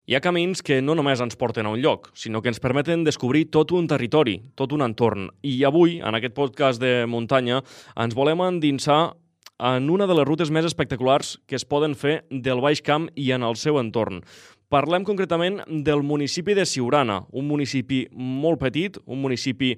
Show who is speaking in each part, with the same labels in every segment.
Speaker 1: Hi ha camins que no només ens porten a un lloc, sinó que ens permeten descobrir tot un territori, tot un entorn. I avui, en aquest podcast de muntanya, ens volem endinsar en una de les rutes més espectaculars que es poden fer del Baix Camp i en el seu entorn. Parlem concretament del municipi de Siurana, un municipi molt petit, un municipi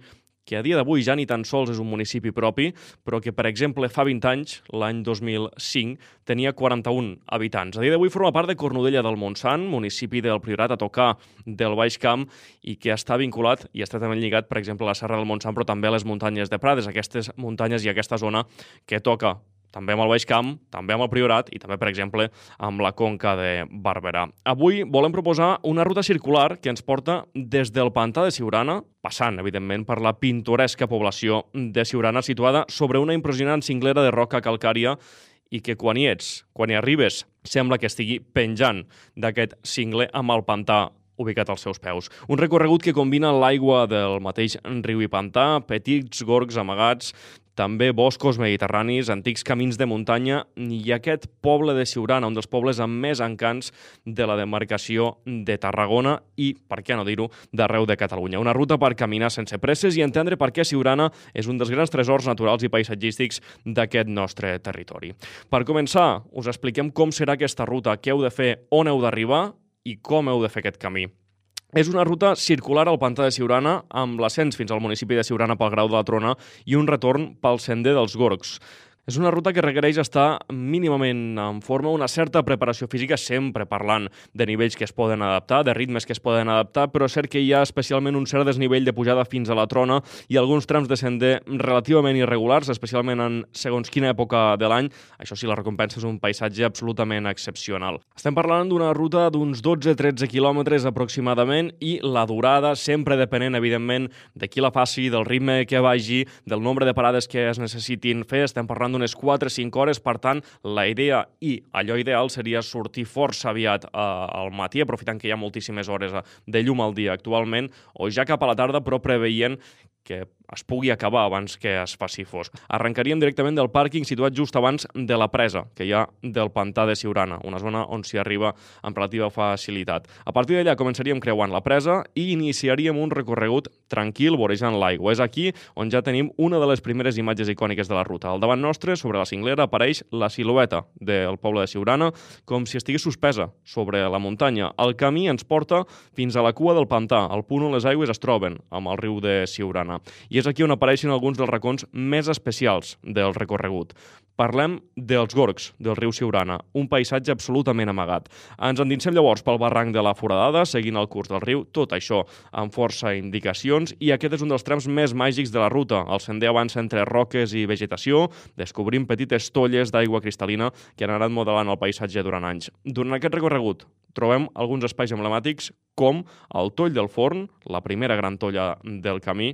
Speaker 1: que a dia d'avui ja ni tan sols és un municipi propi, però que, per exemple, fa 20 anys, l'any 2005, tenia 41 habitants. A dia d'avui forma part de Cornudella del Montsant, municipi del Priorat a tocar del Baix Camp, i que està vinculat i estretament lligat, per exemple, a la Serra del Montsant, però també a les muntanyes de Prades, aquestes muntanyes i aquesta zona que toca també amb el Baix Camp, també amb el Priorat i també, per exemple, amb la Conca de Barberà. Avui volem proposar una ruta circular que ens porta des del pantà de Siurana, passant, evidentment, per la pintoresca població de Siurana, situada sobre una impressionant cinglera de roca calcària i que quan hi ets, quan hi arribes, sembla que estigui penjant d'aquest cingler amb el pantà ubicat als seus peus. Un recorregut que combina l'aigua del mateix riu i pantà, petits gorgs amagats, també boscos mediterranis, antics camins de muntanya i aquest poble de Siurana, un dels pobles amb més encants de la demarcació de Tarragona i, per què no dir-ho, d'arreu de Catalunya. Una ruta per caminar sense presses i entendre per què Siurana és un dels grans tresors naturals i paisatgístics d'aquest nostre territori. Per començar, us expliquem com serà aquesta ruta, què heu de fer, on heu d'arribar i com heu de fer aquest camí. És una ruta circular al pantà de Siurana amb l'ascens fins al municipi de Siurana pel Grau de la Trona i un retorn pel sender dels Gorgs. És una ruta que requereix estar mínimament en forma, una certa preparació física, sempre parlant de nivells que es poden adaptar, de ritmes que es poden adaptar, però és cert que hi ha especialment un cert desnivell de pujada fins a la Trona i alguns trams de sender relativament irregulars, especialment en segons quina època de l'any. Això sí, la recompensa és un paisatge absolutament excepcional. Estem parlant d'una ruta d'uns 12-13 quilòmetres aproximadament i la durada, sempre depenent, evidentment, de qui la faci, del ritme que vagi, del nombre de parades que es necessitin fer. Estem parlant d'unes 4-5 hores, per tant, la idea i allò ideal seria sortir força aviat al matí, aprofitant que hi ha moltíssimes hores de llum al dia actualment, o ja cap a la tarda, però preveient que es pugui acabar abans que es faci fosc. Arrencaríem directament del pàrquing situat just abans de la presa que hi ha del pantà de Siurana, una zona on s'hi arriba amb relativa facilitat. A partir d'allà començaríem creuant la presa i iniciaríem un recorregut tranquil vorejant l'aigua. És aquí on ja tenim una de les primeres imatges icòniques de la ruta. Al davant nostre, sobre la cinglera, apareix la silueta del poble de Siurana com si estigués suspesa sobre la muntanya. El camí ens porta fins a la cua del pantà, al punt on les aigües es troben amb el riu de Siurana. I és aquí on apareixen alguns dels racons més especials del recorregut. Parlem dels Gorgs, del riu Siurana, un paisatge absolutament amagat. Ens endinsem llavors pel barranc de la Foradada, seguint el curs del riu, tot això amb força indicacions, i aquest és un dels trams més màgics de la ruta. El sender avança entre roques i vegetació, descobrint petites tolles d'aigua cristal·lina que han anat modelant el paisatge durant anys. Durant aquest recorregut trobem alguns espais emblemàtics com el Toll del Forn, la primera gran tolla del camí,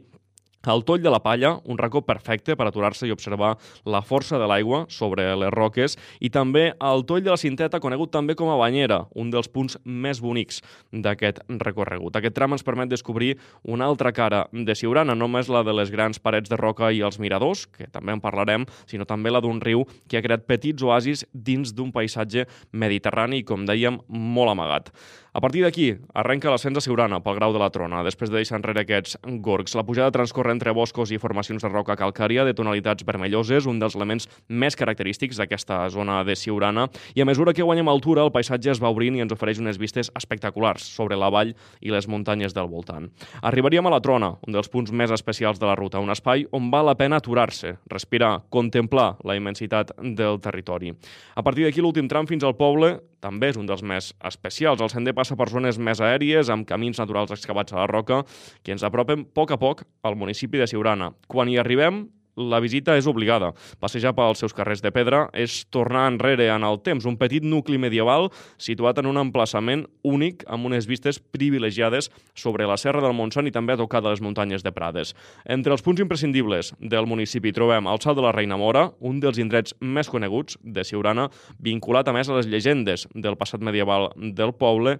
Speaker 1: el Toll de la Palla, un racó perfecte per aturar-se i observar la força de l'aigua sobre les roques, i també el Toll de la Cinteta, conegut també com a Banyera, un dels punts més bonics d'aquest recorregut. Aquest tram ens permet descobrir una altra cara de Siurana, no només la de les grans parets de roca i els miradors, que també en parlarem, sinó també la d'un riu que ha creat petits oasis dins d'un paisatge mediterrani i, com dèiem, molt amagat. A partir d'aquí, arrenca l'ascens a Siurana pel Grau de la Trona, després de deixar enrere aquests gorgs. La pujada transcorre entre boscos i formacions de roca calcària de tonalitats vermelloses, un dels elements més característics d'aquesta zona de Siurana, i a mesura que guanyem altura, el paisatge es va obrint i ens ofereix unes vistes espectaculars sobre la vall i les muntanyes del voltant. Arribaríem a la Trona, un dels punts més especials de la ruta, un espai on val la pena aturar-se, respirar, contemplar la immensitat del territori. A partir d'aquí, l'últim tram fins al poble també és un dels més especials. El sender passa per zones més aèries, amb camins naturals excavats a la roca, que ens apropen a poc al municipi de Siurana. Quan hi arribem, la visita és obligada. Passejar pels seus carrers de pedra és tornar enrere en el temps, un petit nucli medieval situat en un emplaçament únic amb unes vistes privilegiades sobre la Serra del Montsant i també a tocar de les muntanyes de Prades. Entre els punts imprescindibles del municipi trobem el Salt de la Reina Mora, un dels indrets més coneguts de Siurana, vinculat a més a les llegendes del passat medieval del poble,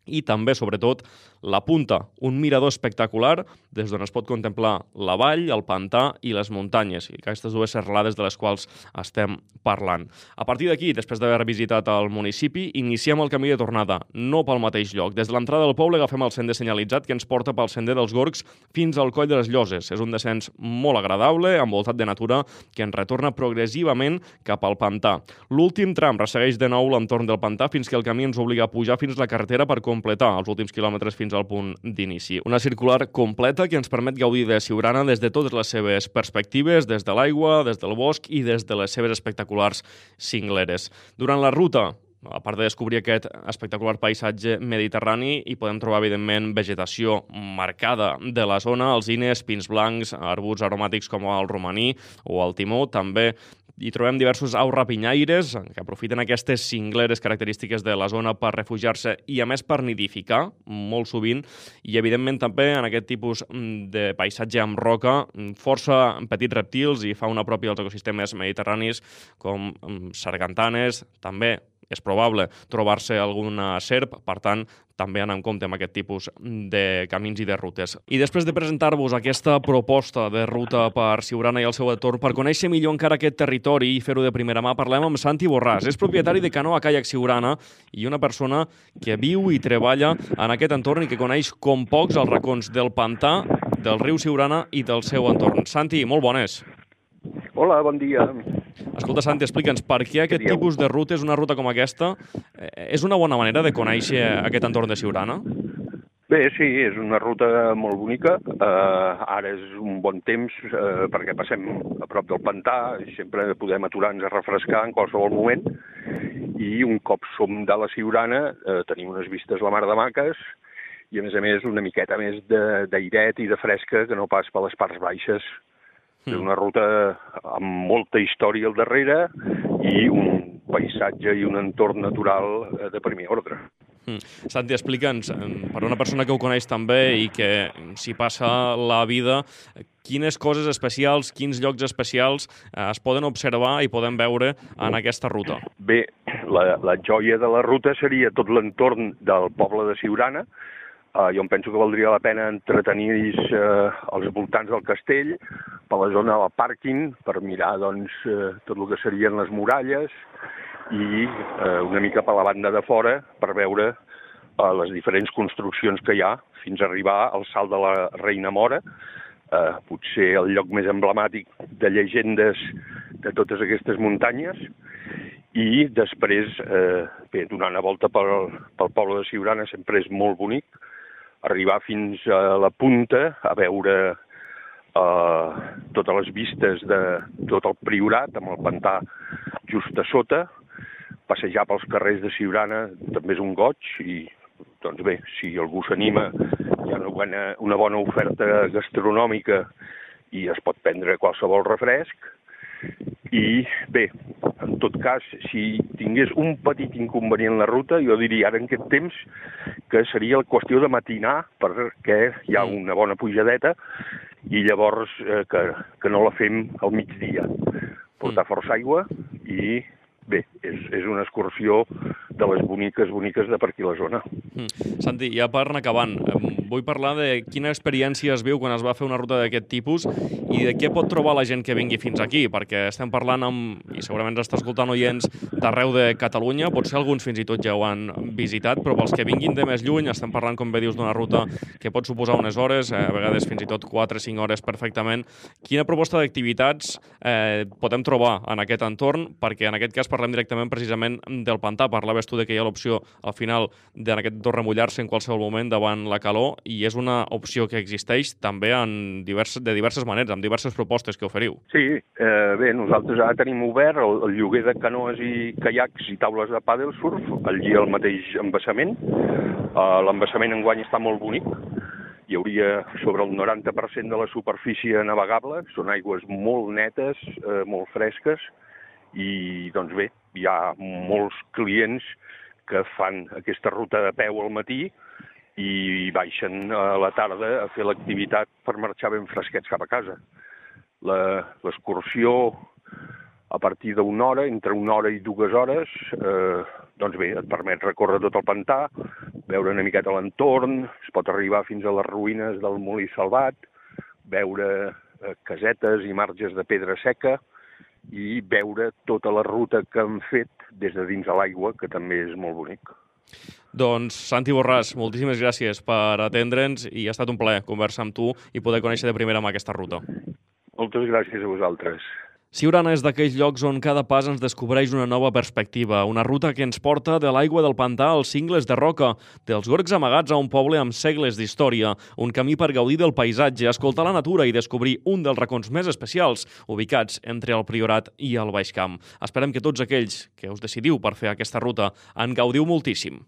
Speaker 1: i també, sobretot, la punta, un mirador espectacular des d'on es pot contemplar la vall, el pantà i les muntanyes, i aquestes dues serralades de les quals estem parlant. A partir d'aquí, després d'haver visitat el municipi, iniciem el camí de tornada, no pel mateix lloc. Des de l'entrada del poble agafem el sender senyalitzat que ens porta pel sender dels Gorgs fins al Coll de les Lloses. És un descens molt agradable, envoltat de natura, que ens retorna progressivament cap al pantà. L'últim tram ressegueix de nou l'entorn del pantà fins que el camí ens obliga a pujar fins a la carretera per completar els últims quilòmetres fins al punt d'inici. Una circular completa que ens permet gaudir de Siurana des de totes les seves perspectives, des de l'aigua, des del bosc i des de les seves espectaculars cingleres. Durant la ruta, a part de descobrir aquest espectacular paisatge mediterrani, hi podem trobar, evidentment, vegetació marcada de la zona, alzines, pins blancs, arbusts aromàtics com el romaní o el timó. També hi trobem diversos aus rapinyaires que aprofiten aquestes cingleres característiques de la zona per refugiar-se i, a més, per nidificar, molt sovint. I, evidentment, també en aquest tipus de paisatge amb roca, força petits reptils i fauna pròpia dels ecosistemes mediterranis, com sargantanes, també és probable trobar-se alguna serp, per tant, també anar en compte amb aquest tipus de camins i de rutes. I després de presentar-vos aquesta proposta de ruta per Siurana i el seu entorn, per conèixer millor encara aquest territori i fer-ho de primera mà, parlem amb Santi Borràs. És propietari de Canoa Caiac Siurana i una persona que viu i treballa en aquest entorn i que coneix com pocs els racons del pantà, del riu Siurana i del seu entorn. Santi, molt bones.
Speaker 2: Hola, bon dia.
Speaker 1: Escolta, Santi, explica'ns per què aquest tipus de rutes, una ruta com aquesta, és una bona manera de conèixer aquest entorn de Siurana?
Speaker 2: Bé, sí, és una ruta molt bonica. Ara és un bon temps perquè passem a prop del pantà i sempre podem aturar-nos a refrescar en qualsevol moment. I un cop som de la Siurana tenim unes vistes la mar de maques i, a més, una miqueta més d'airet i de fresca que no pas per les parts baixes. És una ruta amb molta història al darrere i un paisatge i un entorn natural de primer ordre.
Speaker 1: Santi, explica'ns, per una persona que ho coneix també i que s'hi passa la vida, quines coses especials, quins llocs especials es poden observar i poden veure en aquesta ruta?
Speaker 2: Bé, la joia de la ruta seria tot l'entorn del poble de Siurana. Jo em penso que valdria la pena entretenir-se als voltants del castell, per la zona del pàrquing, per mirar tot el que serien les muralles i una mica per la banda de fora per veure les diferents construccions que hi ha fins a arribar al Salt de la Reina Mora, potser el lloc més emblemàtic de llegendes de totes aquestes muntanyes. I després, donar una volta pel poble de Siurana sempre és molt bonic, arribar fins a la punta a veure totes les vistes de tot el Priorat, amb el pantà just a sota. Passejar pels carrers de Siurana també és un goig i, doncs bé, si algú s'anima, hi ha una bona oferta gastronòmica i es pot prendre qualsevol refresc. I bé, en tot cas, si tingués un petit inconvenient la ruta, jo diria ara en aquest temps que seria la qüestió de matinar perquè hi ha una bona pujadeta i llavors que no la fem al migdia. Portar força aigua i bé, és una excursió de les boniques de per aquí la zona.
Speaker 1: Santi, ja per anar acabant, vull parlar de quina experiència es viu quan es va fer una ruta d'aquest tipus i de què pot trobar la gent que vingui fins aquí, perquè estem parlant i segurament ens està escoltant oients d'arreu de Catalunya, potser alguns fins i tot ja ho han visitat, però pels que vinguin de més lluny estem parlant, com bé dius, d'una ruta que pot suposar unes hores, a vegades fins i tot 4 o 5 hores perfectament. Quina proposta d'activitats podem trobar en aquest entorn? Perquè en aquest cas parlem directament precisament del pantà. Parlaves tu que hi ha l'opció al final en aquest entorn remullar-se en qualsevol moment davant la calor i és una opció que existeix també de diverses maneres, amb diverses propostes que oferiu.
Speaker 2: Sí, bé, nosaltres ara tenim obert el lloguer de canoes i caiacs i taules de pàdel surf, allí al mateix embassament. L'embassament enguany està molt bonic. Hi hauria sobre el 90% de la superfície navegable, són aigües molt netes, molt fresques, i doncs bé, hi ha molts clients que fan aquesta ruta de peu al matí i baixen a la tarda a fer l'activitat per marxar ben fresquets cap a casa. L'excursió a partir d'una hora, entre 1 hora i 2 hores, doncs bé, et permet recórrer tot el pantà, veure una miqueta l'entorn, es pot arribar fins a les ruïnes del Molí Salvat, veure casetes i marges de pedra seca i veure tota la ruta que han fet des de dins de l'aigua, que també és molt bonic.
Speaker 1: Doncs, Santi Borràs, moltíssimes gràcies per atendre'ns i ha estat un plaer conversar amb tu i poder conèixer de primera mà aquesta ruta.
Speaker 2: Moltes gràcies a vosaltres.
Speaker 1: Siurana és d'aquells llocs on cada pas ens descobreix una nova perspectiva, una ruta que ens porta de l'aigua del pantà als cingles de roca, dels gorgs amagats a un poble amb segles d'història, un camí per gaudir del paisatge, escoltar la natura i descobrir un dels racons més especials ubicats entre el Priorat i el Baix Camp. Esperem que tots aquells que us decidiu per fer aquesta ruta en gaudiu moltíssim.